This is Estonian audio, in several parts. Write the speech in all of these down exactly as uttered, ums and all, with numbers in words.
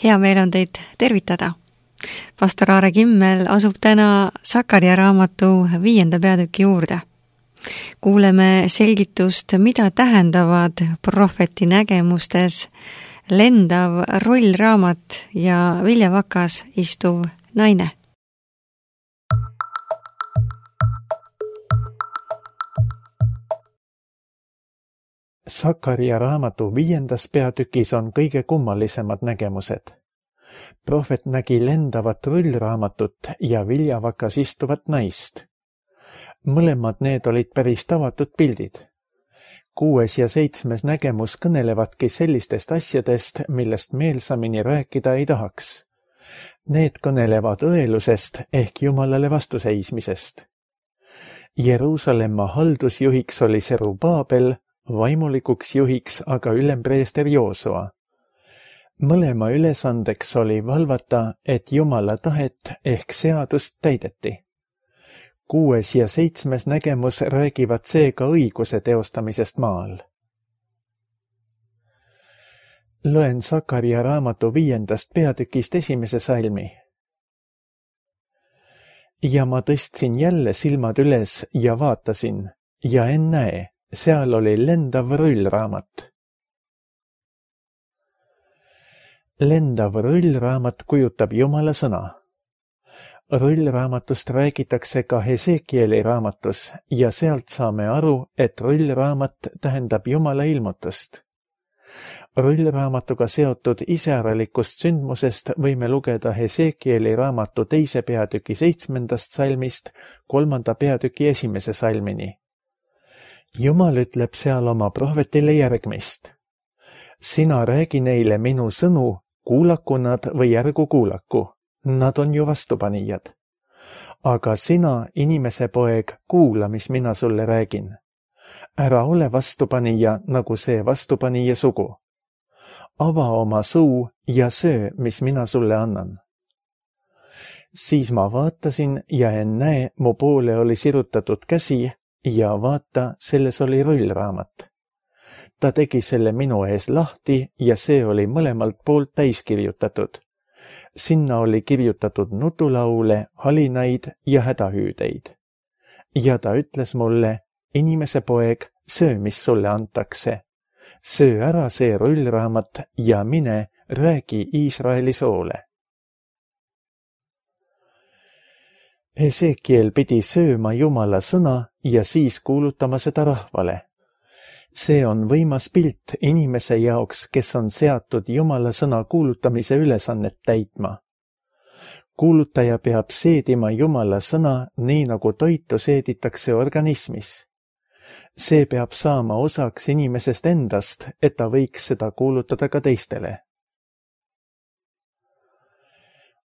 Hea meel on teid tervitada. Pastor Aare Kimmel asub täna Sakaria raamatu viienda peatüki juurde. Kuuleme selgitust, mida tähendavad prohveti nägemustes lendav rollraamat ja viljavakas istuv naine. Sakaria raamatu viiendas peatükis on kõige kummalisemad nägemused. Prohvet nägi lendavat rullraamatut ja viljavakas istuvat naist. Mõlemad need olid päris tavatud pildid. Kuues ja seitsmes nägemus kõnelevadki sellistest asjadest, millest meelsamini rääkida ei tahaks. Need kõnelevad õelusest ehk Jumalale vastuseismisest. Jeruusalemma haldusjuhiks oli Serubaabel, vaimulikuks juhiks aga ülempreester Joosua. Mõlema ülesandeks oli valvata, et Jumala tahet ehk seadust täideti. Kuues ja seitsmes nägemus räägivad seega õiguse teostamisest maal. Loen Sakaria raamatu viiendast peatükist esimese salmi. Ja ma tõstsin jälle silmad üles ja vaatasin, ja ennäe, seal oli lendav rullraamat. Lendav rullraamat kujutab Jumala sõna. Rullraamatust räägitakse ka Hesekieli raamatus ja sealt saame aru, et rullraamat tähendab Jumala ilmutust. Rullraamatuga seotud iseäralikust sündmusest võime lugeda Hesekieli raamatu teise peatüki seitsmendast salmist kolmanda peatüki esimese salmini. Jumal ütleb seal oma prohvetile järgmist. Sina räägi neile minu sõnu, kuulaku nad või ärgu kuulaku. Nad on ju vastupanijad. Aga sina, inimese poeg, kuula, mis mina sulle räägin. Ära ole vastupanija, nagu see vastupanija sugu. Ava oma suu ja söö, mis mina sulle annan. Siis ma vaatasin ja ennäe, mu poole oli sirutatud käsi ja vaata, selles oli rullraamat. Ta tegi selle minu ees lahti ja see oli mõlemalt poolt täis kirjutatud. Sinna oli kirjutatud nutulaule, halinaid ja hädahüüdeid. Ja ta ütles mulle, inimese poeg, söö, mis sulle antakse. Söö ära see rullraamat ja mine, räägi Iisraeli soole. Hesekiel pidi sööma Jumala sõna ja siis kuulutama seda rahvale. See on võimas pilt inimese jaoks, kes on seatud Jumala sõna kuulutamise ülesannet täitma. Kuulutaja peab seedima Jumala sõna nii nagu toitu seeditakse organismis. See peab saama osaks inimesest endast, et ta võiks seda kuulutada ka teistele.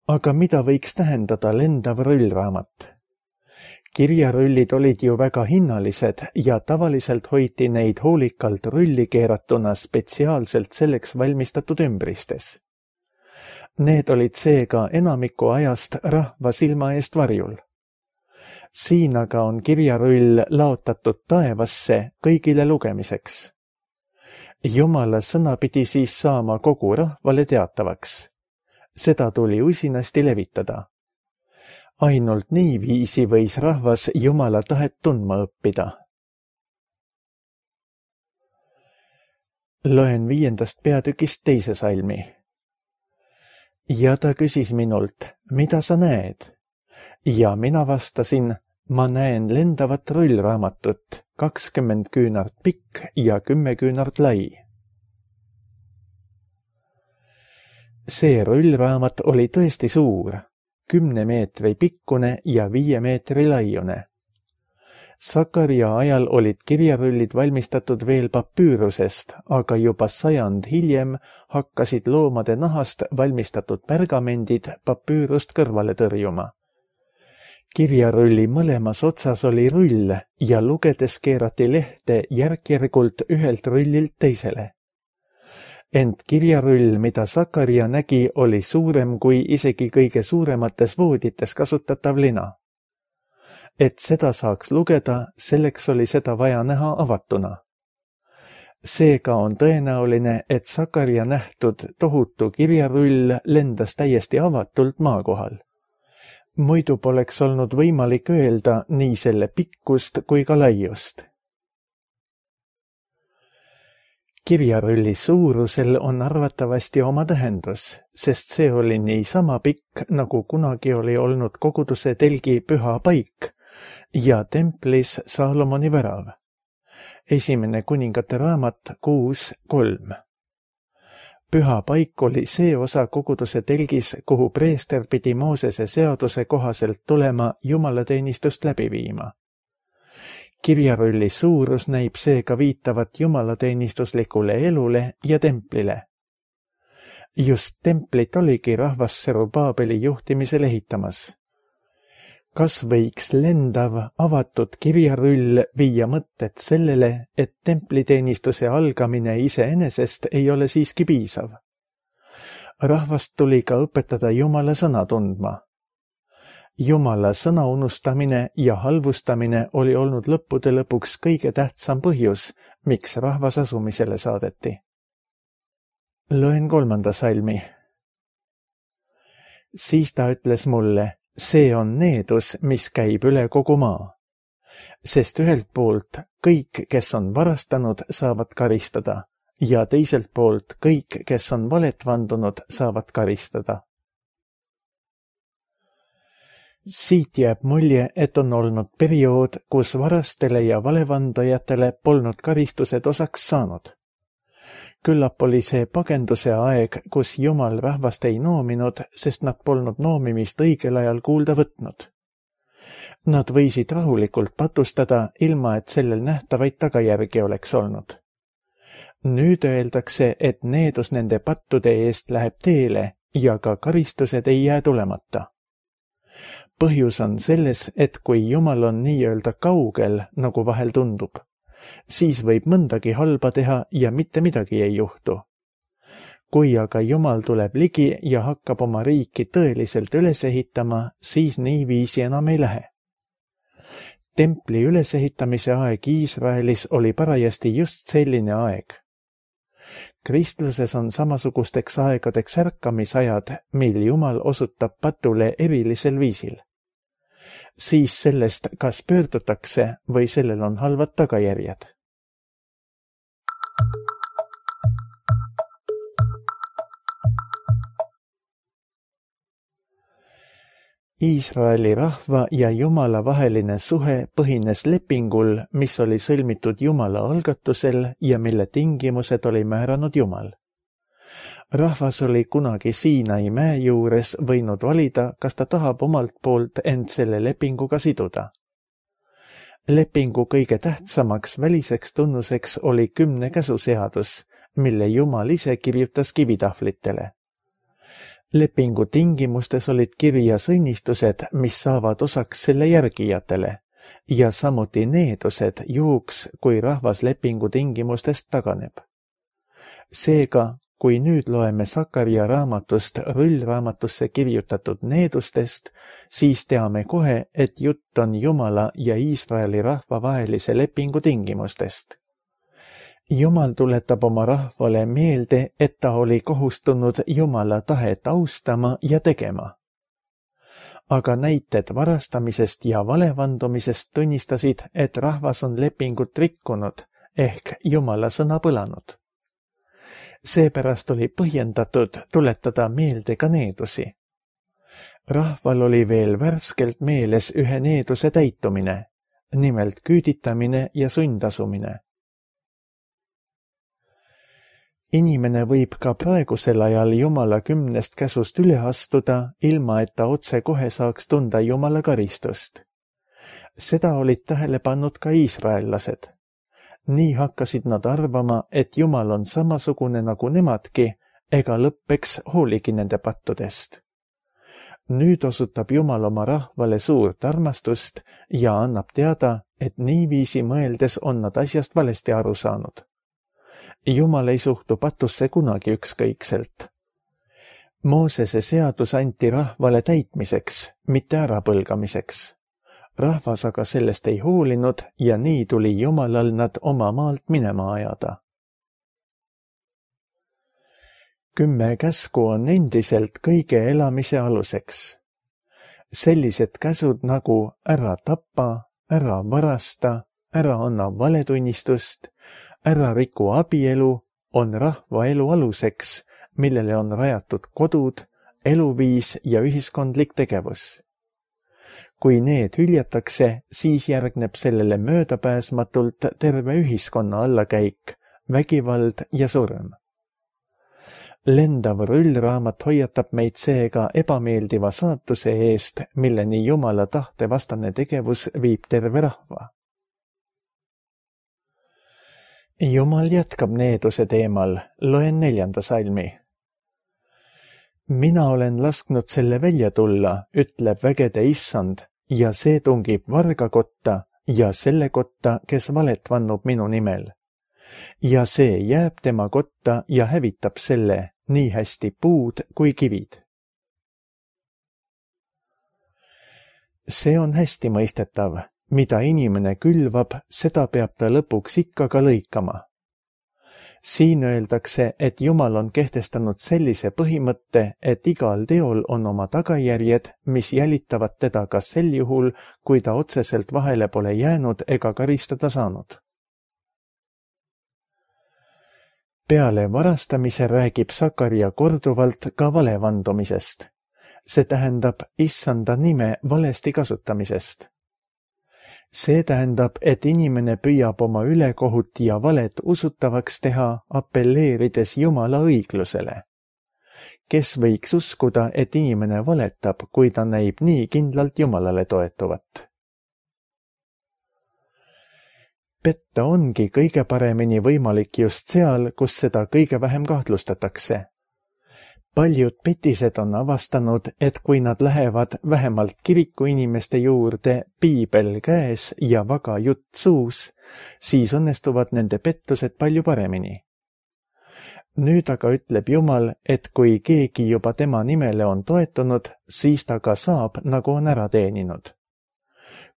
Aga mida võiks tähendada lendav rullraamat? Kirjarullid olid ju väga hinnalised ja tavaliselt hoiti neid hoolikalt rulli keeratuna spetsiaalselt selleks valmistatud ümbristes. Need olid seega enamiku ajast rahva silma eest varjul. Siin aga on kirjarull laotatud taevasse kõigile lugemiseks. Jumala sõna pidi siis saama kogu rahvale teatavaks. Seda tuli usinasti levitada. Ainult nii viisi võis rahvas Jumala tahet tundma õppida. Loen viiendast peatükist teise salmi. Ja ta küsis minult, mida sa näed? Ja mina vastasin, ma näen lendavat rullraamatut, kakskümmend küünart pikk ja kümme küünart lai. See rullraamat oli tõesti suur. Kümne meetri pikkune ja viie meetri laiune. Sakaria ajal olid kirjarullid valmistatud veel papüürusest, aga juba sajand hiljem hakkasid loomade nahast valmistatud pergamendid papüürust kõrvale tõrjuma. Kirjarulli mõlemas otsas oli rull ja lugedes keerati lehte järk-järgult ühelt rullilt teisele. Ent kirjarull, mida Sakaria nägi, oli suurem kui isegi kõige suuremates voodites kasutatav lina. Et seda saaks lugeda, selleks oli seda vaja näha avatuna. Seega on tõenäoline, et Sakaria nähtud tohutu kirjarull lendas täiesti avatult maa kohal. Muidu poleks olnud võimalik öelda nii selle pikkust kui ka laiust. Kirjarulli suurusel on arvatavasti oma tähendus, sest see oli nii sama pikk, nagu kunagi oli olnud koguduse telgi püha paik ja templis Saalomoni värav. Esimene kuningate raamat kuus kolm. Püha paik oli see osa koguduse telgis, kuhu preester pidi Moosese seaduse kohaselt tulema jumalateenistust läbi viima. Kirjarulli suurus näib seega viitavat jumalateenistuslikule elule ja templile. Just templit oligi rahvas Serubaabeli juhtimisel ehitamas. Kas võiks lendav, avatud kirjarull viia mõtted sellele, et templiteenistuse algamine iseenesest ei ole siiski piisav? Rahvast tuli ka õpetada Jumala sõna tundma. Jumala sõna unustamine ja halvustamine oli olnud lõppude lõpuks kõige tähtsam põhjus, miks rahvas asumisele saadeti. Loen kolmanda salmi. Siis ta ütles mulle, see on needus, mis käib üle kogu maa. Sest ühelt poolt kõik, kes on varastanud, saavad karistada ja teiselt poolt kõik, kes on valet vandunud, saavad karistada. Siit jääb mulje, et on olnud periood, kus varastele ja valevandajatele polnud karistused osaks saanud. Küllap oli see pagenduse aeg, kus Jumal rahvast ei noominud, sest nad polnud noomimist õigel ajal kuulda võtnud. Nad võisid rahulikult patustada, ilma et sellel nähtavaid tagajärgi oleks olnud. Nüüd öeldakse, et needus nende pattude eest läheb teele ja ka karistused ei jää tulemata. Põhjus on selles, et kui Jumal on nii-öelda kaugel, nagu vahel tundub, siis võib mõndagi halba teha ja mitte midagi ei juhtu. Kui aga Jumal tuleb ligi ja hakkab oma riiki tõeliselt üles ehitama, siis niiviisi enam ei lähe. Templi ülesehitamise aeg Iisraelis oli parajasti just selline aeg. Kristluses on samasugusteks aegadeks ärkamisajad, mil Jumal osutab patule erilisel viisil. Siis sellest, kas pöördutakse või sellel on halvad tagajärjed. Iisraeli rahva ja Jumala vaheline suhe põhines lepingul, mis oli sõlmitud Jumala algatusel ja mille tingimused oli määranud Jumal. Rahvas oli kunagi Siinai mäe juures võinud valida, kas ta tahab omalt poolt end selle lepinguga siduda. Lepingu kõige tähtsamaks väliseks tunnuseks oli kümne käsuseadus, mille Jumal ise kirjutas kivitahvlitele. Lepingu tingimustes olid kirjas õnnistused, mis saavad osaks selle järgijatele, ja samuti needused juhuks, kui rahvas lepingu tingimustest taganeb. Seega, kui nüüd loeme Sakaria raamatust rullraamatusse kirjutatud needustest, siis teame kohe, et jutt on Jumala ja Iisraeli rahva vahelise lepingu tingimustest. Jumal tuletab oma rahvale meelde, et ta oli kohustunud Jumala tahet austama ja tegema. Aga näited varastamisest ja valevandumisest tunnistasid, et rahvas on lepingut rikkunud ehk Jumala sõna põlanud. Seepärast oli põhjendatud tuletada meelde ka needusi. Rahval oli veel värskelt meeles ühe needuse täitumine, nimelt küüditamine ja sundasumine. Inimene võib ka praegusel ajal Jumala kümnest käsust üle astuda, ilma et ta otse kohe saaks tunda Jumala karistust. Seda olid tähele pannud ka iisraellased. Nii hakkasid nad arvama, et Jumal on samasugune nagu nemadki, ega lõppeks hooligi nende pattudest. Nüüd osutab Jumal oma rahvale suurt armastust ja annab teada, et niiviisi mõeldes on nad asjast valesti aru saanud. Jumal ei suhtu patusse kunagi ükskõikselt. Moosese seadus anti rahvale täitmiseks, mitte ärapõlgamiseks. Rahvas aga sellest ei hoolinud ja nii tuli Jumalal nad oma maalt minema ajada. kümme käsku on endiselt kõige elamise aluseks. Sellised käsud nagu ära tapa, ära varasta, ära anna valetunnistust, ära riku abielu on rahva elu aluseks, millele on rajatud kodud, eluviis ja ühiskondlik tegevus. Kui need hüljatakse, siis järgneb sellele möödapääsmatult terve ühiskonna allakäik, vägivald ja surm. Lendav rullraamat hoiatab meid seega ebameeldiva saatuse eest, milleni Jumala tahte vastane tegevus viib terve rahva. Jumal jätkab needuse teemal, loen neljanda salmi. Mina olen lasknud selle välja tulla, ütleb vägede issand, ja see tungib varga kotta ja selle kotta, kes valet vannub minu nimel. Ja see jääb tema kotta ja hävitab selle, nii hästi puud kui kivid. See on hästi mõistetav, mida inimene külvab, seda peab ta lõpuks ikka ka lõikama. Siin öeldakse, et Jumal on kehtestanud sellise põhimõtte, et igal teol on oma tagajärjed, mis jälitavad teda ka sel juhul, kui ta otseselt vahele pole jäänud ega karistada saanud. Peale varastamise räägib Sakarja korduvalt ka valevandumisest. See tähendab issanda nime valesti kasutamisest. See tähendab, et inimene püüab oma ülekohut ja valet usutavaks teha, appelleerides Jumala õiglusele. Kes võiks uskuda, et inimene valetab, kui ta näib nii kindlalt Jumalale toetuvat? Petta ongi kõige paremini võimalik just seal, kus seda kõige vähem kahtlustatakse. Paljud petised on avastanud, et kui nad lähevad vähemalt kiriku inimeste juurde piibel käes ja vaga jutt suus, siis õnnestuvad nende pettused palju paremini. Nüüd aga ütleb Jumal, et kui keegi juba tema nimele on toetunud, siis ta ka saab, nagu on ära teeninud.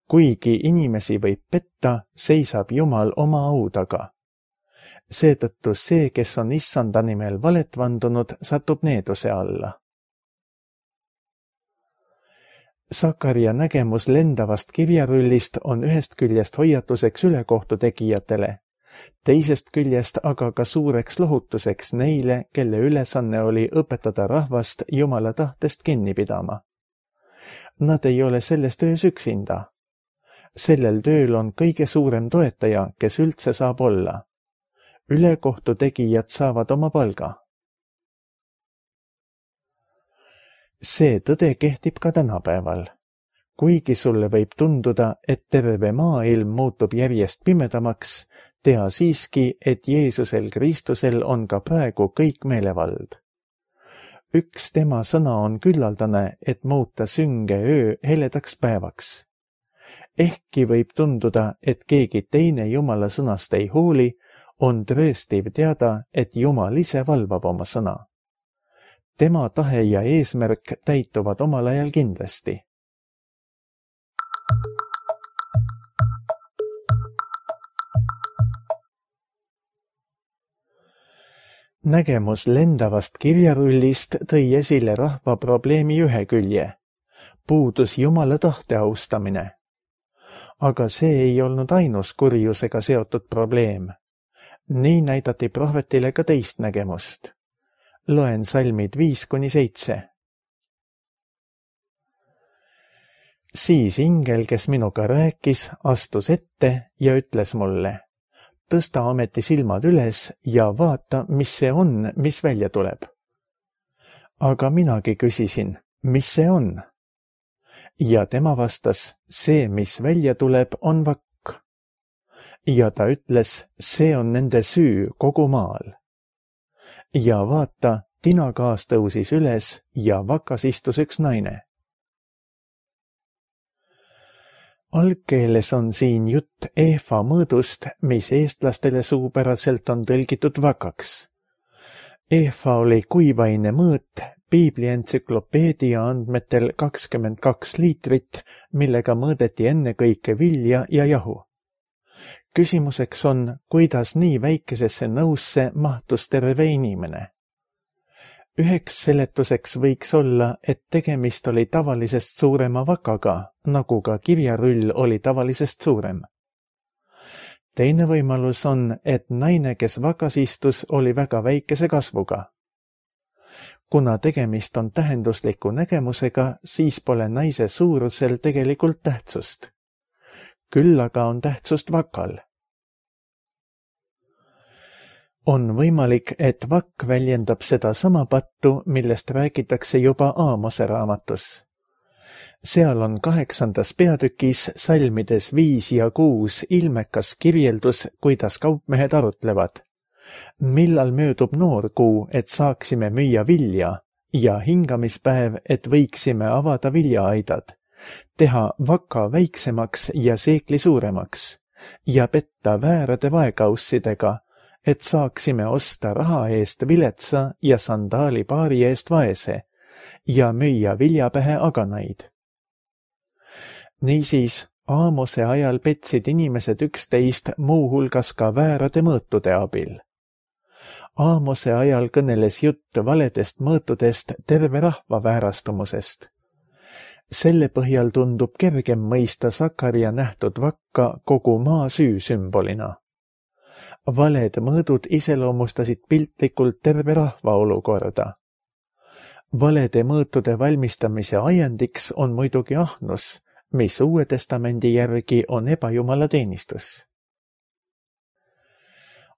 Kuigi inimesi võib petta, seisab Jumal oma au taga. Seetõttu see, kes on issanda nimel valet vandunud, satub needuse alla. Sakarja nägemus lendavast kirjarullist on ühest küljest hoiatuseks ülekohtu tegijatele, teisest küljest aga ka suureks lohutuseks neile, kelle ülesanne oli õpetada rahvast Jumala tahtest kinni pidama. Nad ei ole selles töös üksinda. Sellel tööl on kõige suurem toetaja, kes üldse saab olla. Ülekohtu tegijad saavad oma palga. See tõde kehtib ka tänapäeval. Kuigi sulle võib tunduda, et terve maailm muutub järjest pimedamaks, tea siiski, et Jeesusel Kristusel on ka praegu kõik meelevald. Üks tema sõna on küllaldane, et muuta sünge öö heledaks päevaks. Ehkki võib tunduda, et keegi teine Jumala sõnast ei hooli, on trööstiv teada, et Jumal ise valvab oma sõna. Tema tahe ja eesmärk täituvad omal ajal kindlasti. Nägemus lendavast kirjarullist tõi esile rahva probleemi ühe külje. Puudus Jumala tahte austamine. Aga see ei olnud ainus kurjusega seotud probleem. Nii näidati prohvetile ka teist nägemust. Loen salmid viis kuni seitse. Siis ingel, kes minuga rääkis, astus ette ja ütles mulle, tõsta ameti silmad üles ja vaata, mis see on, mis välja tuleb. Aga minagi küsisin, mis see on? Ja tema vastas, see, mis välja tuleb, on vakk. Ja ta ütles, see on nende süü kogu maal. Ja vaata, tinakaas tõusis üles ja vakas istus üks naine. Algkeeles on siin jutt eefa mõõdust, mis eestlastele suupäraselt on tõlgitud vakaks. Eefa oli kuivaine mõõt, Piibli entsüklopeedia andmetel kakskümmend kaks liitrit, millega mõõdeti ennekõike vilja ja jahu. Küsimuseks on, kuidas nii väikesesse nõusse mahtus terve inimene. Üheks seletuseks võiks olla, et tegemist oli tavalisest suurema vakaga, nagu ka kirjarull oli tavalisest suurem. Teine võimalus on, et naine, kes vakas istus, oli väga väikese kasvuga. Kuna tegemist on tähendusliku nägemusega, siis pole naise suurusel tegelikult tähtsust. Küll aga on tähtsust vakal. On võimalik, et vakk väljendab seda sama pattu, millest räägitakse juba Aamose raamatus. Seal on kaheksandas peatükis salmides viis ja kuus ilmekas kirjeldus, kuidas kaupmehed arutlevad. Millal möödub noorkuu, et saaksime müüa vilja, ja hingamispäev, et võiksime avada viljaaidad, teha vaka väiksemaks ja seekli suuremaks ja petta väärade vaekaussidega, et saaksime osta raha eest viletsa ja sandaali paari eest vaese ja müüa viljapähe aganaid. Niisiis, Aamose ajal petsid inimesed üksteist muuhulgas ka väärade mõõtude abil. Aamose ajal kõneles jutt valedest mõõtudest terve rahva väärastumusest. Selle põhjal tundub kergem mõista Sakaria nähtud vakka kogu maa süü sümbolina. Valed mõõdud iseloomustasid piltlikult terve rahva olukorda. Valede mõõtude valmistamise ajendiks on muidugi ahnus, mis Uue Testamendi järgi on ebajumala teenistus.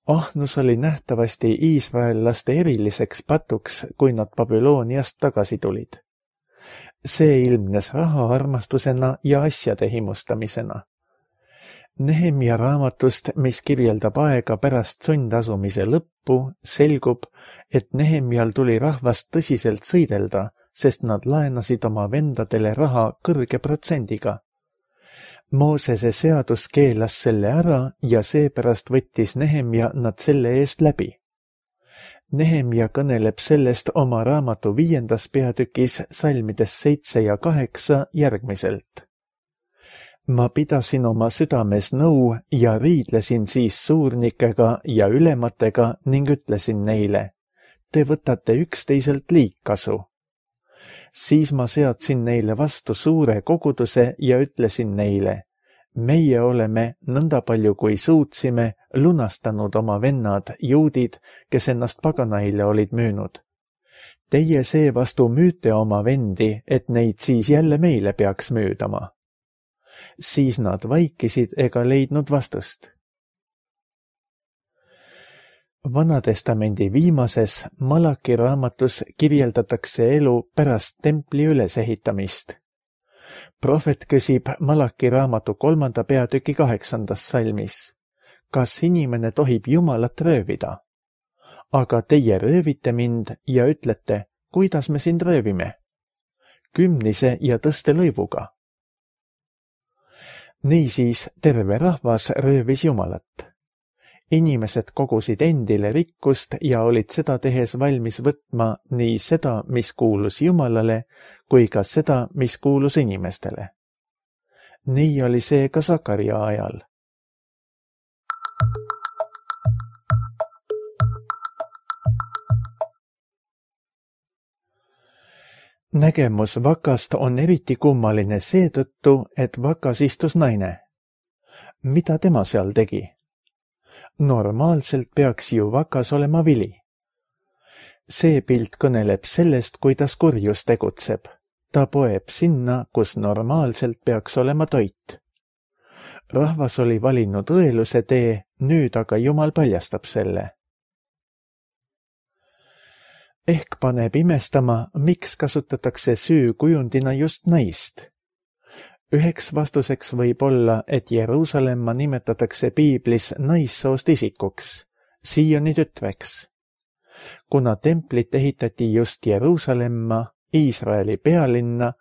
Ahnus oli nähtavasti iisraellaste eriliseks patuks, kui nad Babyloniast tagasi tulid. See ilmnes rahaarmastusena ja asjade himustamisena. Nehemia raamatust, mis kirjeldab aega pärast sundasumise lõppu, selgub, et Nehemial tuli rahvast tõsiselt sõidelda, sest nad laenasid oma vendadele raha kõrge protsendiga. Moosese seadus keelas selle ära ja seepärast võttis Nehemia nad selle eest läbi. Nehemia kõneleb sellest oma raamatu viiendas peatükis salmides seitse ja kaheksa järgmiselt. Ma pidasin oma südames nõu ja riidlesin siis suurnikega ja ülematega ning ütlesin neile, te võtate üksteiselt liigkasu. Siis ma seadsin neile vastu suure koguduse ja ütlesin neile, meie oleme nõnda palju kui suutsime lunastanud oma vennad, juudid, kes ennast paganaile olid müünud. Teie seevastu müüte oma vendi, et neid siis jälle meile peaks müüdama. Siis nad vaikisid ega leidnud vastust. Vanatestamendi viimases Malaki raamatus kirjeldatakse elu pärast templi ülesehitamist. Prohvet küsib Malaki raamatu kolmanda peatüki kaheksandas salmis. Kas inimene tohib Jumalat röövida? Aga teie röövite mind ja ütlete, kuidas me sind röövime? Kümnise ja tõstelõivuga. Niisiis terve rahvas röövis Jumalat. Inimesed kogusid endile rikkust ja olid seda tehes valmis võtma nii seda, mis kuulus Jumalale, kui ka seda, mis kuulus inimestele. Nii oli see ka Sakaria ajal. Nägemus vakast on eriti kummaline seetõttu, et vakas istus naine. Mida tema seal tegi? Normaalselt peaks ju vakas olema vili. See pilt kõneleb sellest, kuidas kurjus tegutseb. Ta poeb sinna, kus normaalselt peaks olema toit. Rahvas oli valinud õeluse tee, nüüd aga Jumal paljastab selle. Ehk paneb imestama, miks kasutatakse süü kujundina just naist. Üheks vastuseks võib olla, et Jeruusalemma nimetatakse piiblis naissoost isikuks, Sioni tütreks. Kuna templit ehitati just Jeruusalemma, Iisraeli pealinna,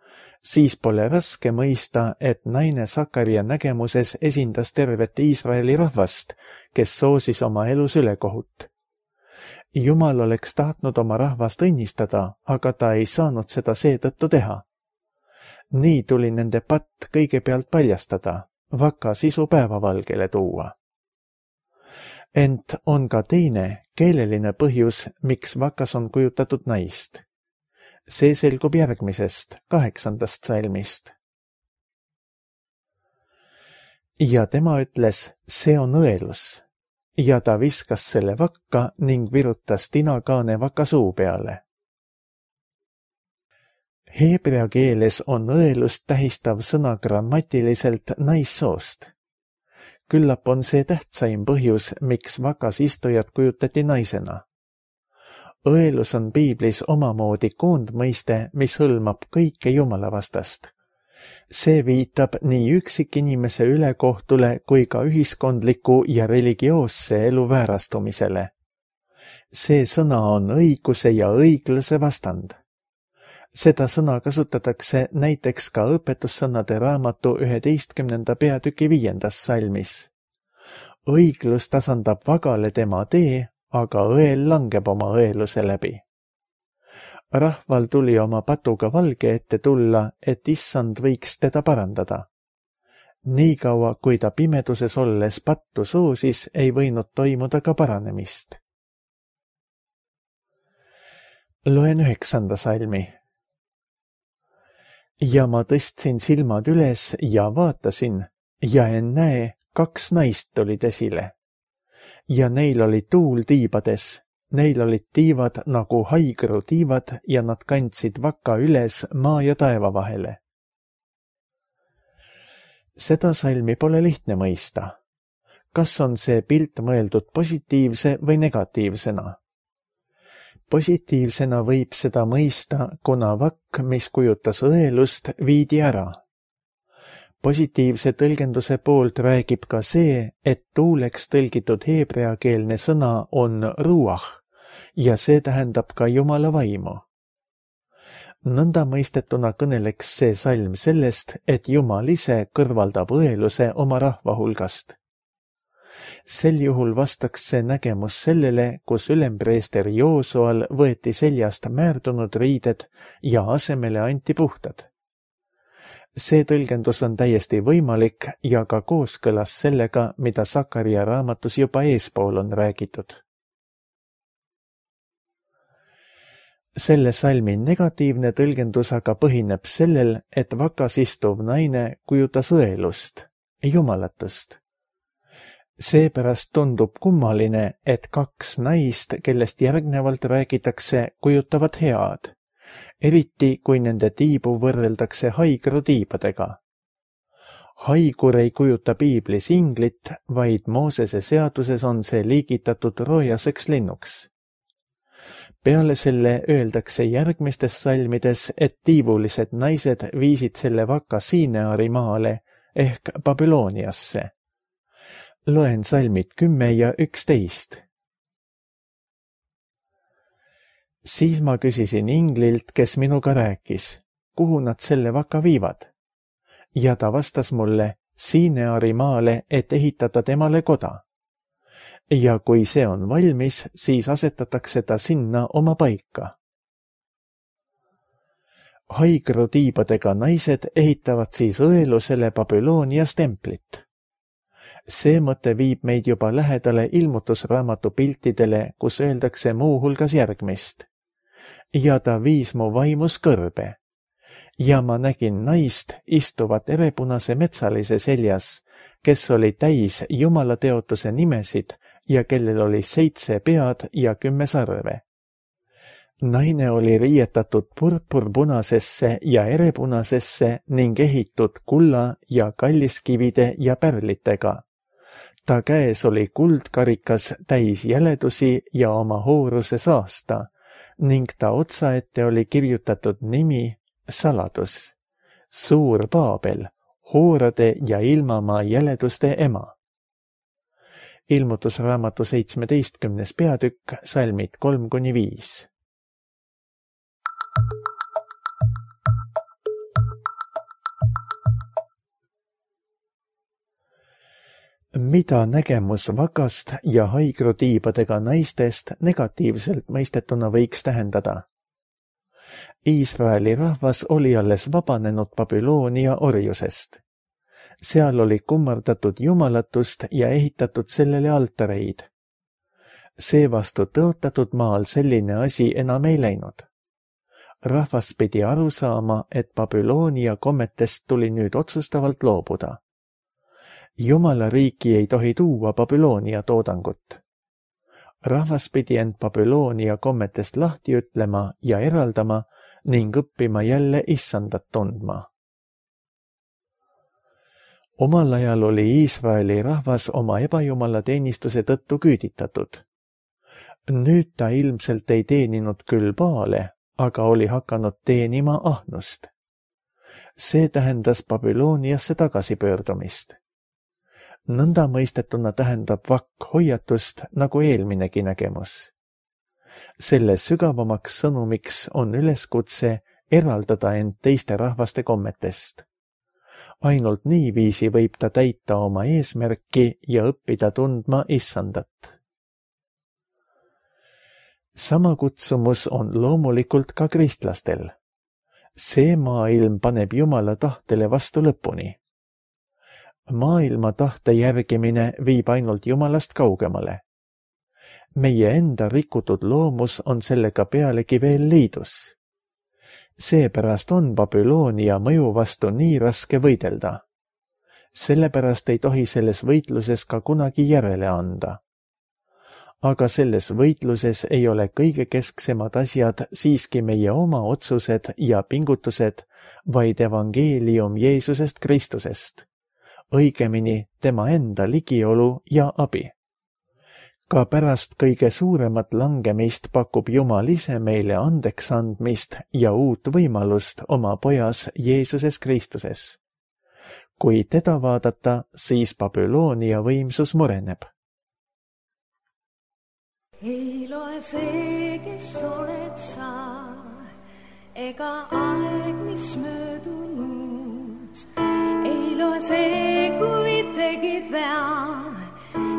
siis pole raske mõista, et naine Sakaria nägemuses esindas tervet Iisraeli rahvast, kes soosis oma elus ülekohut. Jumal oleks tahtnud oma rahvast õnnistada, aga ta ei saanud seda seetõttu teha. Nii tuli nende patt kõigepealt paljastada, vaka sisu päevavalgele tuua. Ent on ka teine keeleline põhjus, miks vakas on kujutatud naist. See selgub järgmisest, kaheksandast salmist. Ja tema ütles, see on õelus, ja ta viskas selle vakka ning virutas tinakaane vaka suu peale. Heebrea keeles on õelust tähistav sõna grammatiliselt naissoost. Küllap on see tähtsaim põhjus, miks vakas istujat kujutati naisena. Õelus on piiblis omamoodi koondmõiste, mis hõlmab kõike Jumala vastast. See viitab nii üksikinimese ülekohtule kui ka ühiskondliku ja religioosse elu väärastumisele. See sõna on õiguse ja õigluse vastand. Seda sõna kasutatakse näiteks ka õpetussõnade raamatu üheteistkümnenda peatüki viiendas salmis. Õiglus tasandab vagale tema tee, aga õel langeb oma õeluse läbi. Rahval tuli oma patuga valge ette tulla, et issand võiks teda parandada. Niikaua, kui ta pimeduses olles pattu soosis, ei võinud toimuda ka paranemist. Loen üheksanda salmi. Ja ma tõstsin silmad üles ja vaatasin, ja ennäe, kaks naist olid esile. Ja neil oli tuul tiibades, neil olid tiivad nagu haigru tiivad ja nad kandsid vaka üles maa ja taeva vahele. Seda salmi pole lihtne mõista. Kas on see pilt mõeldud positiivse või negatiivsena? Positiivsena võib seda mõista, kuna vakk, mis kujutas õelust, viidi ära. Positiivse tõlgenduse poolt räägib ka see, et tuuleks tõlgitud heebreakeelne sõna on ruach ja see tähendab ka Jumala vaimu. Nõnda mõistetuna kõneleks see salm sellest, et Jumal ise kõrvaldab õeluse oma rahva hulgast. Sel juhul vastaks see nägemus sellele, kus ülempreester Joosual võeti seljast määrdunud riided ja asemele anti puhtad. See tõlgendus on täiesti võimalik ja ka kooskõlas sellega, mida Sakaria raamatus juba eespool on räägitud. Selle salmi negatiivne tõlgendus aga põhineb sellel, et vakas istuv naine kujutas õelust, jumalatust. Seepärast tundub kummaline, et kaks naist, kellest järgnevalt räägitakse, kujutavad head, eriti kui nende tiibu võrreldakse haigru tiibadega. Haigur ei kujuta piiblis inglit, vaid Moosese seaduses on see liigitatud roojaseks linnuks. Peale selle öeldakse järgmistes salmides, et tiivulised naised viisid selle vaka Siineari maale ehk Babyloniasse. Loen salmid kümme ja üksteist. Siis ma küsisin inglilt, kes minuga rääkis, kuhu nad selle vaka viivad. Ja ta vastas mulle Siineari maale, et ehitada temale koda. Ja kui see on valmis, siis asetatakse ta sinna oma paika. Haigru tiibadega naised ehitavad siis õelusele Babylonias templit. See mõte viib meid juba lähedale ilmutusraamatu piltidele, kus öeldakse muu hulgas järgmist. Ja ta viis mu vaimus kõrbe. Ja ma nägin naist istuvat erepunase metsalise seljas, kes oli täis Jumala teotuse nimesid ja kellel oli seitse pead ja kümme sarve. Naine oli riietatud purpurpunasesse ja erepunasesse ning ehitud kulla ja kalliskivide ja pärlitega. Ta käes oli kuldkarikas täis jäledusi ja oma hooruse saasta ning ta otsaette oli kirjutatud nimi saladus, suur Paabel, hoorade ja ilmamaa jäleduste ema. Ilmutusraamatu seitsmeteistkümnes peatükk, salmid kolm kuni viis. Mida nägemus vakast ja haigru tiibadega naistest negatiivselt mõistetuna võiks tähendada? Iisraeli rahvas oli alles vabanenud Babyloonia orjusest. Seal oli kummardatud jumalatust ja ehitatud sellele altareid, Seevastu tõotatud maal selline asi enam ei läinud. Rahvas pidi aru saama, et Babyloonia kommetest tuli nüüd otsustavalt loobuda. Jumala riiki ei tohi tuua Babyloonia toodangut. Rahvas pidi end Babyloonia kommetest lahti ütlema ja eraldama ning õppima jälle issandat tundma. Omal ajal oli Iisraeli rahvas oma ebajumala teenistuse tõttu küüditatud. Nüüd ta ilmselt ei teeninud küll Baale, aga oli hakanud teenima ahnust. See tähendas Babyloniasse tagasipöördumist. Nõnda mõistetuna tähendab vakk hoiatust nagu eelminegi nägemus. Selle sügavamaks sõnumiks on üleskutse eraldada end teiste rahvaste kommetest. Ainult niiviisi võib ta täita oma eesmärki ja õppida tundma issandat. Sama kutsumus on loomulikult ka kristlastel. See maailm paneb Jumala tahtele vastu lõpuni. Maailma tahte järgimine viib ainult Jumalast kaugemale. Meie enda rikutud loomus on sellega pealegi veel liidus. Seepärast on Babyloonia mõju vastu nii raske võidelda. Sellepärast ei tohi selles võitluses ka kunagi järele anda. Aga selles võitluses ei ole kõige kesksemad asjad siiski meie oma otsused ja pingutused, vaid evangeelium Jeesusest Kristusest. Õigemini tema enda ligiolu ja abi. Ka pärast kõige suuremat langemist pakub Jumal ise meile andeks andmist ja uut võimalust oma pojas Jeesuses Kristuses. Kui teda vaadata, siis Babyloonia võimsus mureneb. Ei loe see, kes oled sa, ega aeg, mis möödunud. Ei loe see, kui tegid vea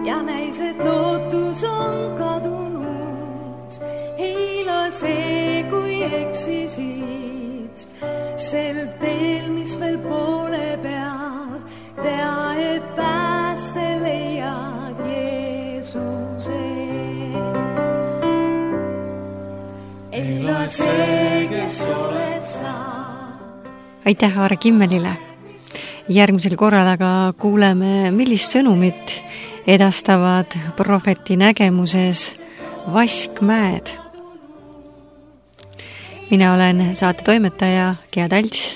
ja näis, et lootus on kadunud. Ei loe see, kui eksisid sel teel, mis veel poole peal. Tea, et pääste leiad Jeesuse. Ei loe see, kes oled sa. Aitäh Aare Kimmelile! Järgmisel korral aga kuuleme, millist sõnumit edastavad prohveti nägemuses Vaskmäed. Mina olen saate toimetaja Gea Talts.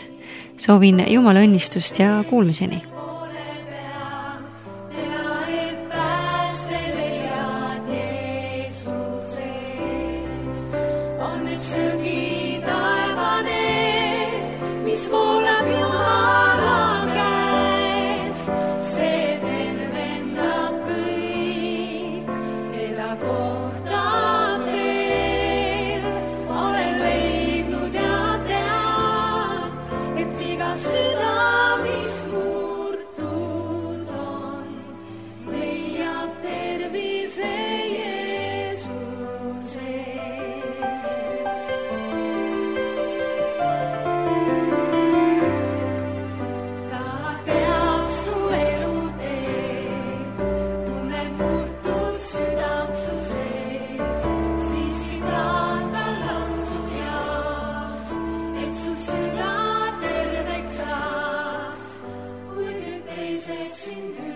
Soovin Jumala õnnistust ja kuulmiseni. Sing